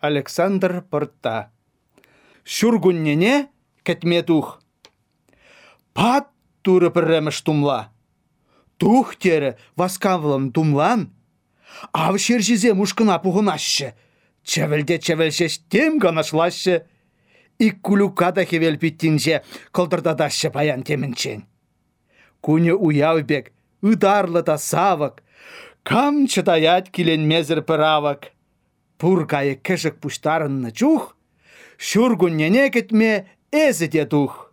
Александр Порта. Шургуннене кетме тух. Пат туры пірреміш тумла. Тух тері васкавлым тумлан. Ав шержізе мушкына пуғынашы. Чәвілде-чәвілшеш тем ғанашлашы. Ик кулюкада хевел питтинже кылдырдадашы паян темінчен. Куне уявбек, ыдарлы да савык. Кам чыдаят киленмезір пыравык. Пургайы кішік пуштарынны чух. Шургуннене кетме әзі де тух.